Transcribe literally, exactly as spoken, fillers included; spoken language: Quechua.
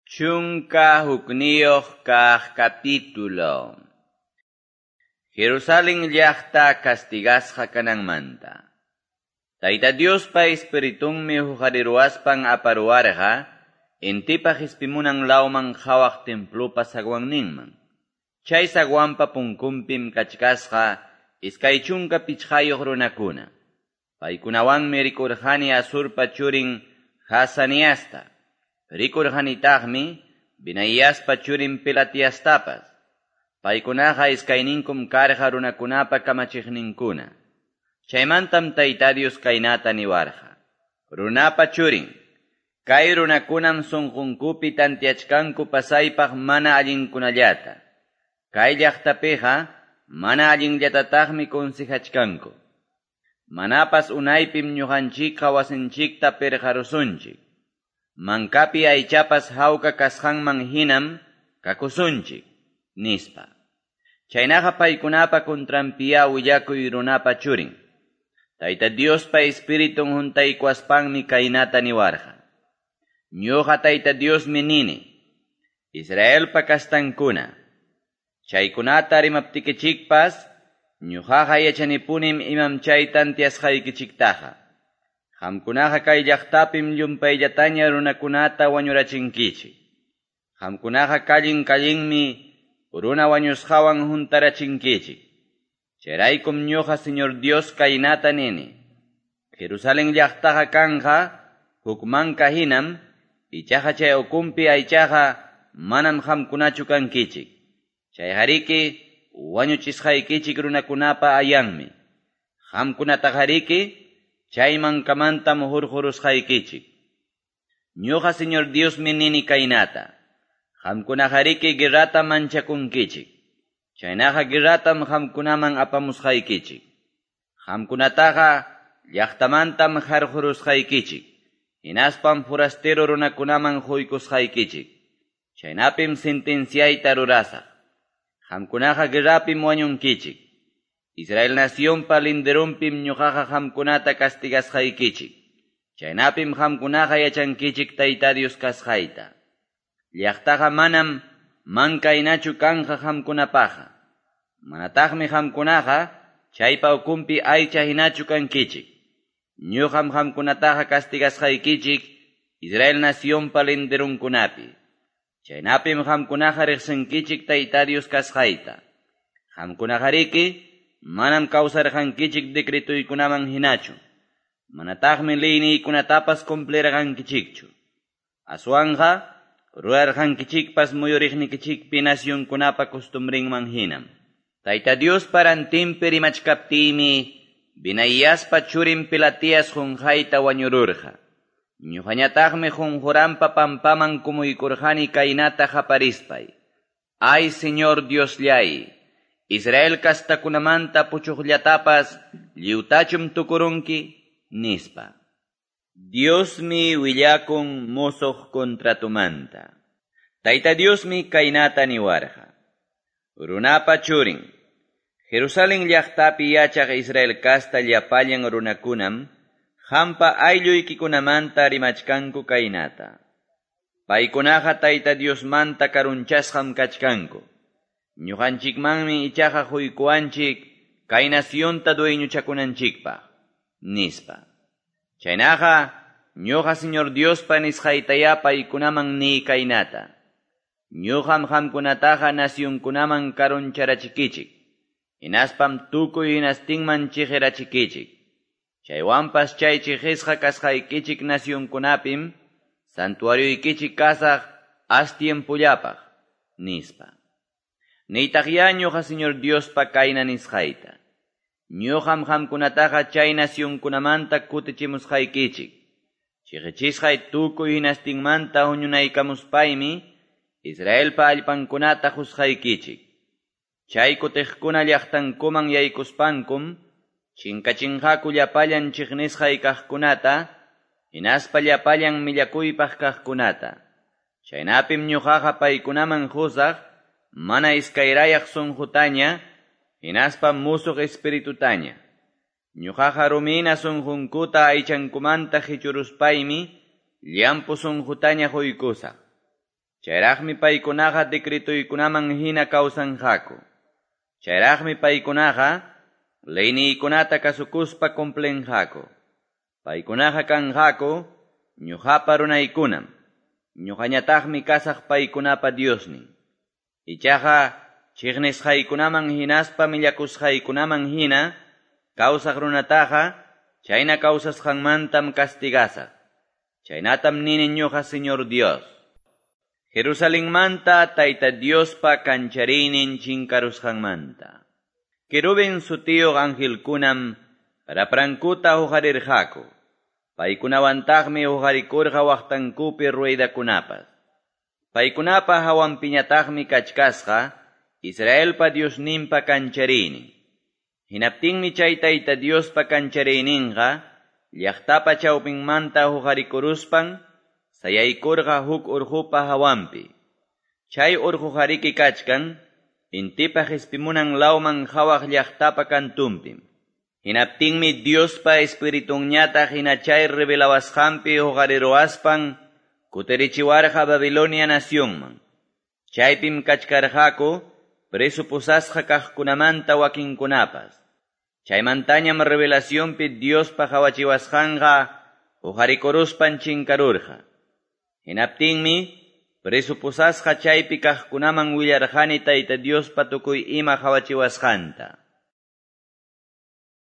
Chunka hukniyuq kaq capítulo. Jerusalén llaqta castigasqa kananmanta. Tayta Diospa espiritunmi huqariruwaspan aparuwarqa intipa qispimunan lawman qhawaq templopa zaguanninman. Chay zaguanpa punkunpim kachkasqa iskay chunka pichqayuq runakuna. Paykunawanmi rikurqani Azurpa churin Jazaniasta. Rikurqanitaqmi Benaiaspa churin Pelatiastapas. Paykunaqa iskayninkum karqa runakunapa kamachiqninkuna. Chaymantam Tayta Dios kaynata niwarqa. Runapa churin, kay runakunam sunqunkupi tantiachkanku pasaypaq mana allinkunallata. Kay llaqtapiqa mana allinllatataqmi consejachkanku. Manapas unaypim ñuqanchikqa wasinchikta pirqarusunchik. Mankapi aychapas hawka kasqanman hinam kakusunchik, nispa. Chaynaqa paykunapa contranpiya willakuy runapa churin. Tayta Diospa espiritun huntaykuwaspanmi kaynata niwarqa. Ñuqa Tayta Diosmi nini, Israelpa kastankuna, chaykunata rimaptikichikpas, ñuqaqa yachanipunim imam chay tantiasqaykichiktaqa. Qamkunaqa kay llaqtapim llumpayllataña runakunata wañurachinkichik. Qamkunaqa kallin kallinmi runa wañusqawan juntarachinkichik. Chayraykum ñuqa Señor Dios kaynata nini. Jerusalén llaqtaqa kanqa huk manka hinam, ichaqa chay ukunpi aychaqa manam qamkunachu kankichik. Chayqariki wañuchisqaykichik runakunapa ayanmi. Qamkunataqariki chay mankamantam hurqurusqaykichik. Ñuqa Señor Diosmi nini kaynata. Qamkunaqariki guerrata manchakunkichik. Chaynaqa guerratam qamkunaman apamusqaykichik. Qamkunataqa llaqtamantam harqurusqaykichik. Hinaspam forastero runakunaman quykusqaykichik. Chaynapim sentenciayta rurasaq. Qamkunaqa guerrapim wañunkichik. Israel nacionpa linderunpim ñuqaqa qamkunata castigasqaykichik. Chaynapim qamkunaqa yachankichik Tayta Dios kasqayta. Llaqtaqa manam mankaynachu kanqa qamkunapaqa. Manataqmi qamkunaqa chaypa ukunpi aycha hinachu kankichik. Ñuqam qamkunataqa castigasqaykichik Israel nacionpa linderunkunapi. Chaynapim qamkunaqa riqsinkichik Tayta Dios kasqayta. Qamkunaqariki manam kawsarqankichik decretuykunaman hinachu. Manataqmi leyniykunatapas cumplirqankichikchu. Aswanqa rurarqankichikpas muyuriqnikichikpi nacionkunapa costumbrinman hinam. Tayta Diospa rantinpi rimachkaptiymi Benaiaspa churin Pelatias qunqayta wañururqa. Ñuqañataqmi qunquranpa pampaman kumuykurqani kaynata qaparispay. Ay Señor Diosllay, Israel kastakunamanta puchuqllatapas lliwtachum tukurunki, nispa. Diosmi willakun musuq contratumanta. Tayta Diosmi kaynata niwarqa. Runapa churin, Jerusalén llaqtapi yachaq Israel kasta llapallan runakunam, qampa aylluykikunamanta rimachkanku kaynata. Paykunaqa Tayta Diosmanta karunchasqam kachkanku. Ñuqanchikmanmi ichaqa quykuwanchik kay nacionta dueñochakunanchikpaq, nispa. Chaynaqa ñuqa Señor Diospa nisqaytaya paykunaman niy kaynata. Ñuqam qamkunataqa nacionkunaman karuncharachikichik. Hinaspam tukuy hinastinman chiqirachikichik. Chaywanpas chay chiqisqa kasqaykichik nacionkunapim santuarioykichik kasaq as tiempollapaq, nispa. Niytaqya ñuqa Señor Diospa kayna nisqayta. Ñuqam qamkunataqa chay nacionkunamanta kutichimusqaykichik. Chiqichisqay tukuy hinastinmanta huñunaykamuspaymi Israelpa allpankunata qusqaykichik. Chay kutiqkuna llaqtankuman yaykuspankum chinkachinqaku llapallan chiqnisqay kaqkunata, hinaspa llapallan millakuypaq kaqkunata. Chaynapim ñuqaqa paykunaman qusaq mana iskayrayaq sunqutaña, hinaspa musuq espiritutaña. Ñuqaqa rumina sunqunkuta aychankumanta qichuruspaymi llampu sunqutaña quykusaq. Chayraqmi paykunaqa decretoykunaman hina kawsanqaku. Chayraqmi paykunaqa leyniykunata kasukuspa cumplinqaku. Paykunaqa kanqaku ñuqapa runaykunam. Ñuqañataqmi kasaq paykunapa Diosnin. Ichaqa chiqnisqaykunaman hinaspa millakusqaykunaman hina kawsaq runataqa chayna kawsasqanmantam castigasaq. Chaynatam nini ñuqa Señor Dios. Jerusalenmanta Tayta Diospa kanchariynin chinkarusqanmanta. Querubin sutiyuq angelkunam raprankuta huqarirqaku. Paykunawantaqmi huqarikurqa waqtankupi ruedakunapas. Paykunapa hawanpiñataqmi kachkasqa Israelpa Diosninpa kanchariynin. Hinaptinmi chay Tayta Diospa kanchariyninqa llaqtapa chawpinmanta huqarikuruspan sayaykurqa huk urqupa hawanpi. Chay urquqariki kachkan intipa qispimunan lawman qhawaq llaqtapa kantunpim. Hinaptinmi Diospa espiritunñataq hina chay revelawasqanpi huqariruwaspan kutirichiwarqa Babilonia nacionman. Chaypim kachkarqaku preso pusasqa kaqkunamanta wakinkunapas. Chaymantañam revelacionpi Diospa qawachiwasqanqa huqarikuruspan chinkarurqa. Hinaptinmi preso pusasqa chaypi kaqkunaman willarqani Tayta Diospa tukuy ima qawachiwasqanta.